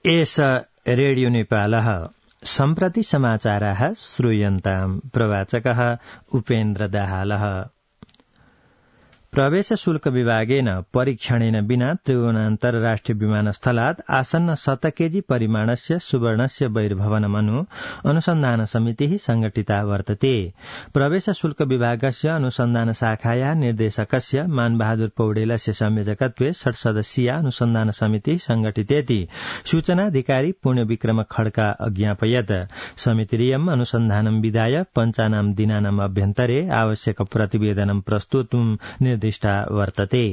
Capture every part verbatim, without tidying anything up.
एष रेडियो नेपालः सम्प्रति समाचाराः श्रूयन्ताम्। प्रवाचकः उपेन्द्र दाहालः। प्रवेश शुल्क विभागेन परीक्षणेन विना त्रिभुवन अन्तर्राष्ट्रिय विमानस्थलात् आसन्न शत केजी परिमाणस्य सुवर्णस्य बहिर्भवनमनु अनुसन्धान समितिः संघटिता वर्तते। प्रवेश शुल्क विभागस्य अनुसन्धान शाखाया निर्देशकस्य मानबहादुर पौडेलस्य संयोजकत्वे षट्सदस्यीय अनुसन्धान समिति संघटितेति सूचनाधिकारी पुण्यविक्रम खड्का अज्ञापयत्। समितिरियम् अनुसन्धानं विधाय पञ्चानां दिनानाम् अभ्यन्तरे आवश्यक प्रतिवेदनं प्रस्तुतुं निर्दिष्टा वर्तते।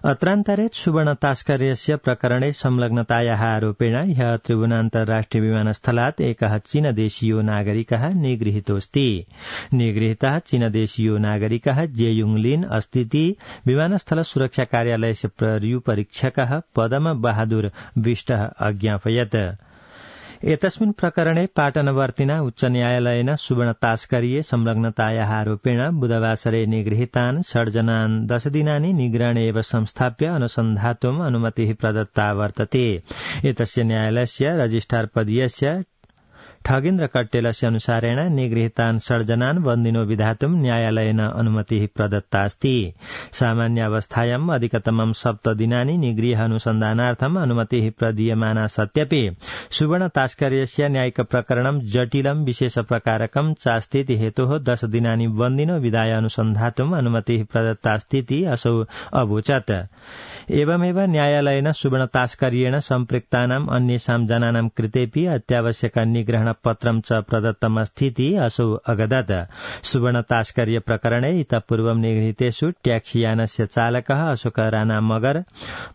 अत्रान्तरे सुवर्ण तास्कर्यस्य प्रकरणे संलग्नतायाः आरोपेण ह्यः त्रिभुवन अन्तर्राष्ट्रिय विमानस्थलात् एकः चीनदेशीयो नागरिकः निगृहीतोऽस्ति। निगृहीतः चीनदेशीयो नागरिकः जेयुङ लिन अस्तीति विमानस्थल सुरक्षा कार्यालयस्य पर्युपरीक्षकः पदम बहादुर विष्टः अज्ञापयत्। एतस्मिन् प्रकरणे पाटनवर्तिना उच्च न्यायालयेन सुवर्ण तास्कर्ये संलग्नतायाः आरोपेण बुधवासरे निगृहीतान् षड्जनान् दशदिनानि निग्रहणे एव संस्थाप्य अनुसन्धातुम् अनुमतिः प्रदत्ता वर्तते। एतस्य न्यायालयस्य रजिस्ट्रार पदीयस्य ठगेन्द्र कट्टेलस्य अनुसारेण निगृहीतान् षड्जनान् बन्दिनो विधातुं न्यायालयेन अनुमतिः प्रदत्तास्ति। सामान्यावस्थायाम् अधिकतमं सप्तदिनानि निगृह अनुसन्धानार्थम् अनुमतिः प्रदीयमाना सत्यपि सुवर्ण तास्कर्यस्य न्यायिक प्रकरणं जटिलं विशेष प्रकारकं चास्तीति हेतोः दश दिनानि बन्दिनो विधाय अनुसन्धातुम् अनुमतिः प्रदत्तास्तीति असौ अवोचत्। एवमेव न्यायालयेन सुवर्ण तास्कर्येण सम्पृक्तानाम् अन्येषां जनानां कृतेऽपि अत्यावश्यक निग्रहण पत्रं च प्रदत्तमस्तीति असौ अगदत्। सुवर्ण तास्कर्य प्रकरणे इतः पूर्वं निगृहीतेषु ट्याक्सीयानस्य चालकः अशोक राणा मगर,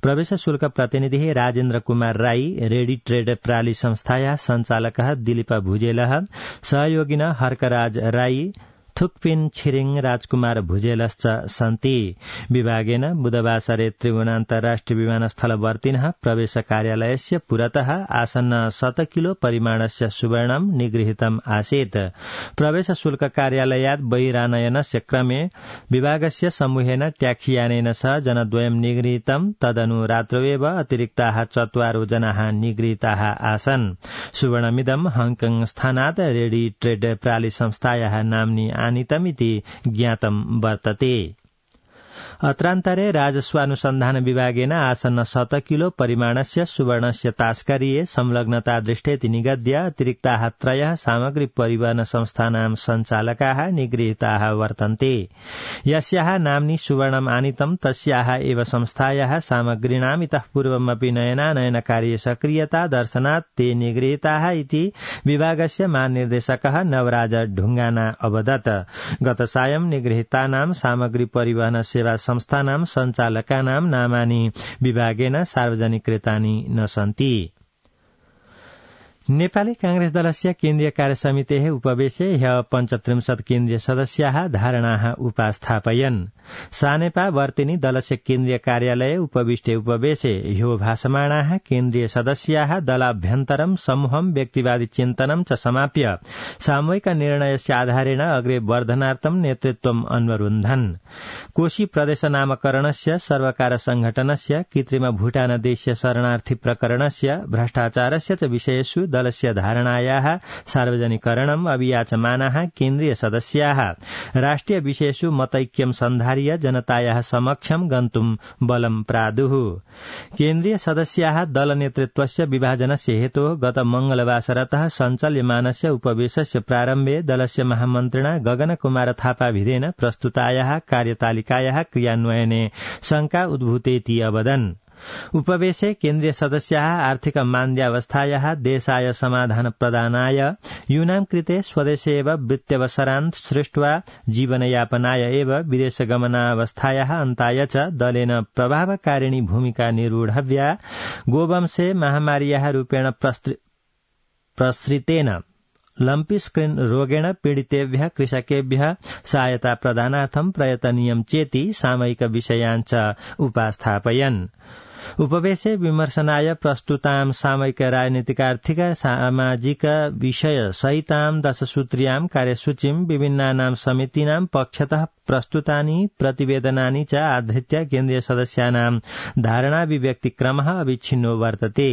प्रवेश शुल्क प्रतिनिधिः राजेन्द्र कुमार राई, रेडी ट्रेड प्राली संस्थाया संचालकः दिलीप भुजेलः, सहयोगिनः हर्कराज राई, थुक्पिन छिरिङ राजकुमार भुजेलश्च सन्ति। विभागेन बुधवासरे त्रिभुवन अन्तर्राष्ट्रिय विमानस्थलवर्तिनः प्रवेश कार्यालयस्य पुरतः आसन्न शत किलो परिमाणस्य सुवर्णं निगृहीतम् आसीत्। प्रवेश शुल्क कार्यालयात् बहिरानयनस्य क्रमे विभागस्य समूहेन ट्याक्सीयानेन सह जनद्वयं निगृहीतम्। तदनु रात्रौ एव अतिरिक्ताः चत्वारो जनाः निगृहीताः आसन्। सुवर्णमिदं हांगकांग स्थानात् रेडी ट्रेड प्राली संस्थायाः नाम्नि आनीतमिति ज्ञातं वर्तते। अत्रान्तरे राजस्वानुसन्धान विभागेन आसन्न शत किलो परिमाणस्य सुवर्णस्य तास्कर्ये संलग्नता दृष्टेति निगद्य अतिरिक्ताः त्रयः सामग्री परिवहन संस्थानां सञ्चालकाः निगृहीताः वर्तन्ते। यस्याः नाम्नि सुवर्णम् आनीतं तस्याः एव संस्थायाः सामग्रीणाम् इतः पूर्वमपि नयनानयनकार्ये सक्रियता दर्शनात् ते निगृहीताः इति विभागस्य महानिर्देशकः नवराज ढुङ्गाना अवदत्। गत सायं निगृहीतानां सामग्री परिवहन सेवा संस्थानां सञ्चालकानां नामानि विभागेन सार्वजनिक कृतानि न सन्ति। नेपाली कांग्रेस दलस्य केन्द्रीय कार्यसमितेः उपवेशे ह्यः पञ्चत्रिंशत् केन्द्रीय सदस्याः धारणाः उपास्थापयन्। सानेपा वर्तिनी दलस्य केन्द्रीय कार्यालये उपविष्टे उपवेशे ह्यो भाषमाणाः केन्द्रीय सदस्याः दलाभ्यन्तरं समूहं व्यक्तिवादी चिन्तनं च समाप्य सामूहिक निर्णयस्य आधारेण अग्रे वर्धनार्थं नेतृत्वम् अन्वरुन्धन्। कोशी प्रदेश नामकरणस्य, सर्वकार संघटनस्य, कृत्रिम भूटानदेशीय शरणार्थी प्रकरणस्य, भ्रष्टाचारस्य च विषयेषु दलस्य धारणायाः सार्वजनिकरणम् अभियाचमानाः केन्द्रीय सदस्याः राष्ट्रिय विषयेषु मतैक्यं सन्धार्य जनतायाः समक्षं गन्तुं बलं प्रादुः। केन्द्रीय सदस्याः दल नेतृत्वस्य विभाजनस्य हेतोः गत मंगलवासरतः सञ्चाल्यमानस्य उपवेशस्य प्रारम्भे दलस्य महामन्त्रिणा गगन कुमार थापाभिधेन प्रस्तुतायाः कार्यतालिकायाः क्रियान्वयने शंका उद्भूतेति अवदन्। उपवेशे केन्द्रीय सदस्याः आर्थिक मान्द्यावस्थायाः देशाय समाधान प्रदानाय यूनां कृते स्वदेशे एव वृत्त्यवसरान् सृष्ट्वा जीवनयापनाय एव विदेशगमनावस्थायाः अन्ताय च दलेन प्रभावकारिणी भूमिका निर्वोढव्या, गोवंशे महामार्याः रूपेण प्रसृतेन लम्पी स्क्रीन रोगेण पीडितेभ्यः कृषकेभ्यः सहायता प्रदानार्थं प्रयतनीयं चेति सामयिक विषयान् च उपास्थापयन्। उपवेशे विमर्शनाय प्रस्तुतां सामयिक राजनीतिक आर्थिक सामाजिक विषय सहितां दशसूत्र्यां कार्यसूचीं विभिन्नानां समितीनां पक्षतः प्रस्तुतानि प्रतिवेदनानि च आधृत्य केन्द्रीय सदस्यानां धारणाभिव्यक्तिक्रमः अविच्छिन्नो वर्तते।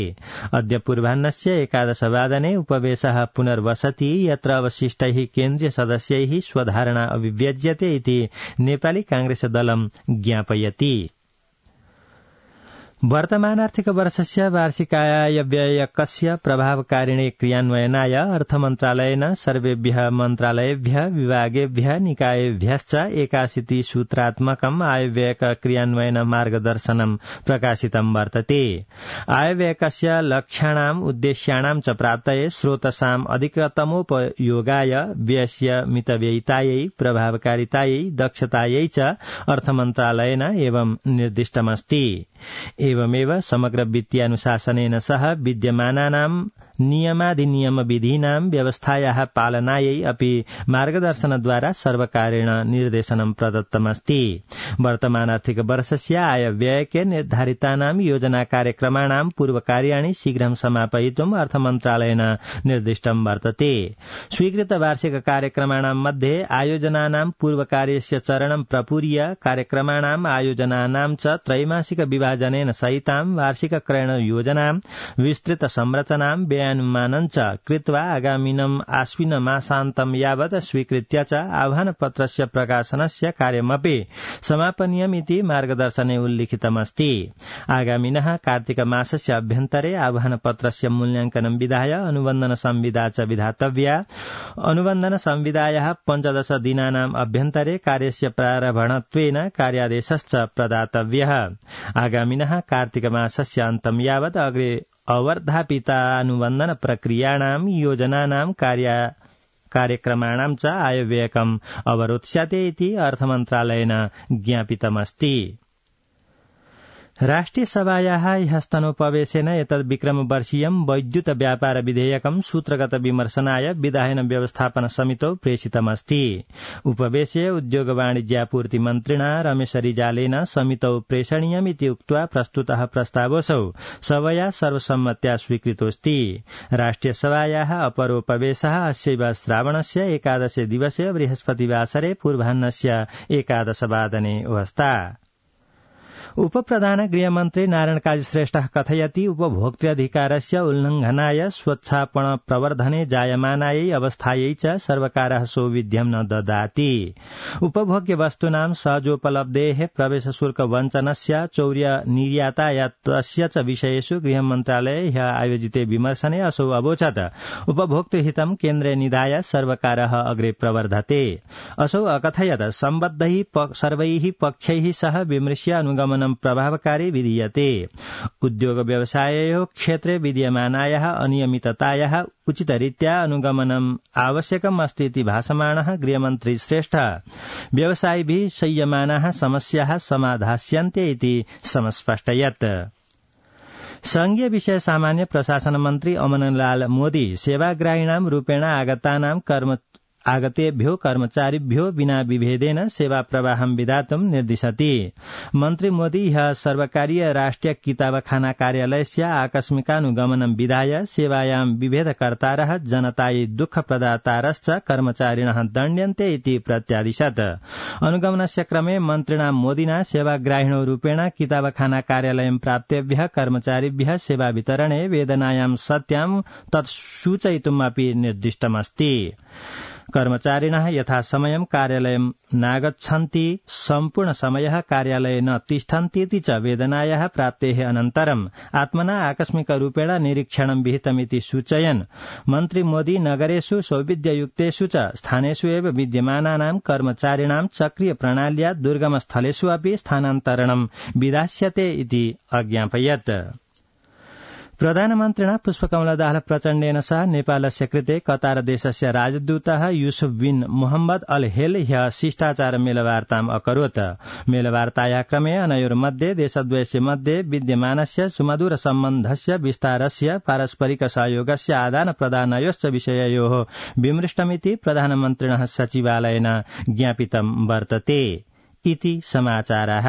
अद्य पूर्वाह्नस्य एकादशवादने उपवेशः पुनर्वसति यत्र अवशिष्टैः केन्द्रीय सदस्यैः स्वधारणा अभिव्यज्यते इति नेपाली कांग्रेस दलं ज्ञापयति। वर्तमान आर्थिक वर्षस्य वार्षिक आय व्ययकस्य प्रभावकारिणे क्रियान्वयनाय अर्थमन्त्रालयेन सर्वेभ्यः मन्त्रालयेभ्यः विभागेभ्यः निकायेभ्यश्च एकाशीति सूत्रात्मकम् आयव्ययक क्रियान्वयन मार्गदर्शनं प्रकाशितं वर्तते। आयव्ययकस्य लक्ष्याणाम् उद्देश्याणां च प्राप्तये स्रोतसाम् अधिकतमोपयोगाय व्ययस्य मितव्ययितायै प्रभावकारितायै दक्षतायै च अर्थमन्त्रालयेन एवं निर्दिष्टमस्ति। एवमेव समग्र वित्तीयानुशासनेन सह विद्यमानानां नियमाधिनियम विधीनां व्यवस्थायाः पालनायै अपि मार्गदर्शनद्वारा सर्वकारेण निर्देशनं प्रदत्तमस्ति। वर्तमान आर्थिक वर्षस्य आय व्ययके निर्धारितानां योजना कार्यक्रमाणां पूर्वकार्याणि शीघ्रं समापयितुम् अर्थमन्त्रालयेन निर्दिष्टं वर्तते। स्वीकृत वार्षिक कार्यक्रमाणां मध्ये आयोजनानां पूर्वकार्यस्य चरणं प्रपूर्य कार्यक्रमाणाम् आयोजनानां च त्रैमासिक विभाजनेन सहितां वार्षिक क्रयण योजनां विस्तृत संरचनां व्ययानुमानं च कृत्वा आगामिनम् आश्विन मासान्तं यावत् स्वीकृत्य च आह्वानपत्रस्य प्रकाशनस्य कार्यमपि समापनीयमिति मार्गदर्शने उल्लिखितमस्ति। आगामिनः कार्तिक मासस्य अभ्यन्तरे आह्वानपत्रस्य मूल्यांकनं विधाय अनुबन्धन संविदा च विधातव्या। अनुबन्धन संविदायाः पञ्चदश दिनानाम् अभ्यन्तरे कार्यस्य प्रारम्भत्वेन कार्यादेशश्च प्रदातव्यः। आगामिनः कार्तिक मासस्य अन्तं यावत् अग्रे अवर्धापितानुबन्धन प्रक्रियाणां योजनानां कार्य कार्यक्रमाणां च आयव्ययकम् अवरोत्स्यते इति अर्थमन्त्रालयेन ज्ञापितमस्ति। राष्ट्रियसभायाः ह्यस्तनोपवेशेन एतद् विक्रमवर्षीयं वैद्युत व्यापार विधेयकं सूत्रगत विमर्शनाय विधायन व्यवस्थापन समितौ प्रेषितमस्ति। उपवेशे उद्योग वाणिज्यापूर्ति मन्त्रिणा रमेश रिजालेन समितौ प्रेषणीयमिति उक्त्वा प्रस्तुतः प्रस्तावोऽसौ सभया सर्वसम्मत्या स्वीकृतोऽस्ति। राष्ट्रियसभायाः अपरोपवेशः अस्यैव श्रावणस्य एकादशे दिवसे बृहस्पतिवासरे पूर्वाह्नस्य एकादशवादने अवस्था। उपप्रधान गृहमन्त्री नारायण काजी श्रेष्ठः कथयति उपभोक्तृधिकारस्य उल्लङ्घनाय स्वच्छापन प्रवर्धने जायमानायै अवस्थायै च सर्वकारः सौविध्यं न ददाति। उपभोग्य वस्तूनां सहजोपलब्धेः प्रवेश शुल्क वञ्चनस्य चौर्य निर्यातायातस्य च विषयेषु गृहमन्त्रालये ह्यः आयोजिते विमर्शने असौ अवोचत् उपभोक्तृहितं केन्द्रे निधाय सर्वकारः अग्रे प्रवर्धते। असौ अकथयत् सम्बद्धैः सर्वैः पक्षैः सह विमृश्य अनुगमनं प्रभावकारी विधीयते। उद्योग व्यवसाययोः क्षेत्रे विद्यमानायाः अनियमिततायाः उचितरीत्या अनुगमनम् आवश्यकम् अस्ति इति भाषमाणः गृहमन्त्री श्रेष्ठः व्यवसायिभिः संयमानाः समस्याः समाधास्यन्ते इति समस्पष्टयत्। संघीय विषय सामान्य प्रशासन मन्त्री अमनलाल मोदी सेवाग्राहिणां रूपेण आगतानां कर्म आगतेभ्यो कर्मचारिभ्यो विना विभेदेन सेवा प्रवाहं विधातुं निर्दिशति। मन्त्री मोदी ह्यः सर्वकारीय राष्ट्रिय किताबखाना कार्यालयस्य आकस्मिकानुगमनं विधाय सेवायां विभेदकर्तारः जनतायै दुःखप्रदातारश्च कर्मचारिणः दण्ड्यन्ते इति प्रत्यादिशत्। अनुगमनस्य क्रमे मन्त्रिणा मोदिना सेवाग्राहिणो रूपेण किताबखाना कार्यालयं प्राप्तेभ्यः कर्मचारिभ्यः सेवा वितरणे वेदनायां सत्यां तत् सूचयितुमपि निर्दिष्टमस्ति। कर्मचारिणः यथासमयं कार्यालयं नागच्छन्ति, सम्पूर्ण समयः कार्यालये न तिष्ठन्तीति च वेदनायाः प्राप्तेः अनन्तरम् आत्मना आकस्मिकरूपेण निरीक्षणं विहितमिति सूचयन् मन्त्री मोदी नगरेषु सौविध्ययुक्तेषु च स्थानेषु एव विद्यमानानां कर्मचारिणां चक्रीय प्रणाल्या दुर्गमस्थलेषु अपि स्थानान्तरणं विधास्यते इति अज्ञापयत्। प्रधानमन्त्रिणा पुष्पकमलदास प्रचण्डेन सह नेपालस्य कृते कतार देशस्य राजदूतः यूसुफ बिन मोहम्मद अल हेल ह्यः शिष्टाचार मेलवार्ताम् अकरोत्। मेलवार्तायाः क्रमे अनयोर्मध्ये देशद्वयस्य मध्ये विद्यमानस्य सुमधुर सम्बन्धस्य विस्तारस्य पारस्परिक सहयोगस्य आदान प्रदानयोश्च विषययोः विमृष्टमिति प्रधानमन्त्रिणः सचिवालयेन ज्ञापितं वर्तते इति समाचारः।